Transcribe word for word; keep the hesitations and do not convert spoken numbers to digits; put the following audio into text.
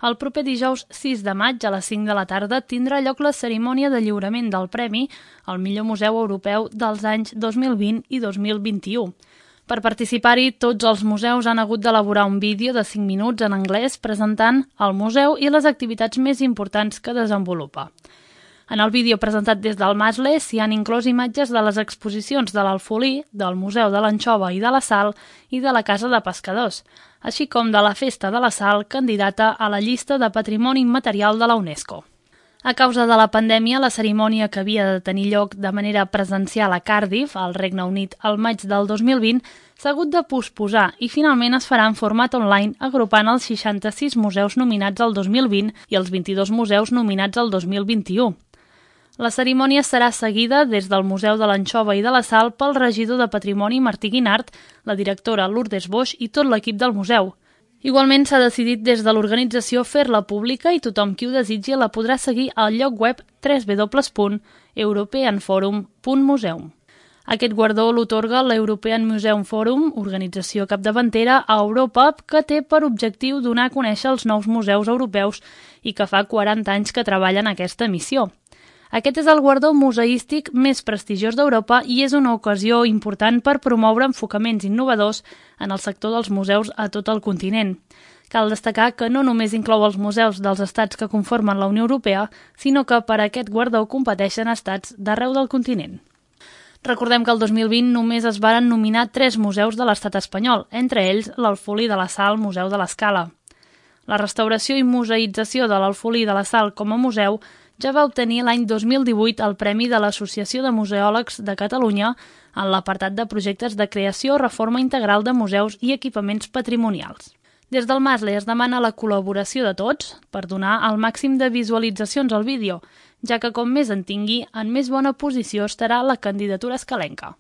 El proper dijous sis de maig a les cinc de la tarda tindrà lloc la cerimònia de lliurament del Premi al millor museu europeu dels anys dos mil vint i dos mil vint-i-u. Per participar-hi, tots els museus han hagut d'elaborar un vídeo de cinc minuts en anglès presentant el museu i les activitats més importants que desenvolupa. En el vídeo presentat des del Masle s'hi han inclòs imatges de les exposicions de l'Alfolí, del Museu de l'Anxova i de la Sal i de la Casa de Pescadors, així com de la Festa de la Sal, candidata a la llista de Patrimoni Immaterial de la UNESCO. A causa de la pandèmia, la cerimònia que havia de tenir lloc de manera presencial a Cardiff, al Regne Unit, al maig del dos mil vint, s'ha hagut de posposar i finalment es farà en format online agrupant els seixanta-sis museus nominats al dos mil vint i els vint-i-dos museus nominats al dos mil vint-i-u. La cerimònia serà seguida des del Museu de l'Anxova i de la Sal pel regidor de Patrimoni Martí Guinart, la directora Lourdes Boix i tot l'equip del museu. Igualment s'ha decidit des de l'organització fer-la pública i tothom qui ho desitgi la podrà seguir al lloc web w w w punt european forum punt museum. Aquest guardó l'otorga l'European Museum Forum, organització capdavantera a Europa que té per objectiu donar a conèixer els nous museus europeus i que fa quaranta anys que treballa en aquesta missió. Aquest és el guardó museístic més prestigiós d'Europa i és una ocasió important per promoure enfocaments innovadors en el sector dels museus a tot el continent. Cal destacar que no només inclou els museus dels estats que conformen la Unió Europea, sinó que per a aquest guardó competeixen estats d'arreu del continent. Recordem que el dos mil vint només es varen nominar tres museus de l'estat espanyol, entre ells l'Alfolí de la Sal, Museu de l'Escala. La restauració i museïtzació de l'Alfolí de la Sal com a museu ja va obtenir l'any dos mil divuit el Premi de l'Associació de Museòlegs de Catalunya en l'apartat de projectes de creació o reforma integral de museus i equipaments patrimonials. Des del Masle es demana la col·laboració de tots per donar el màxim de visualitzacions al vídeo, ja que com més en tingui, en més bona posició estarà la candidatura escalenca.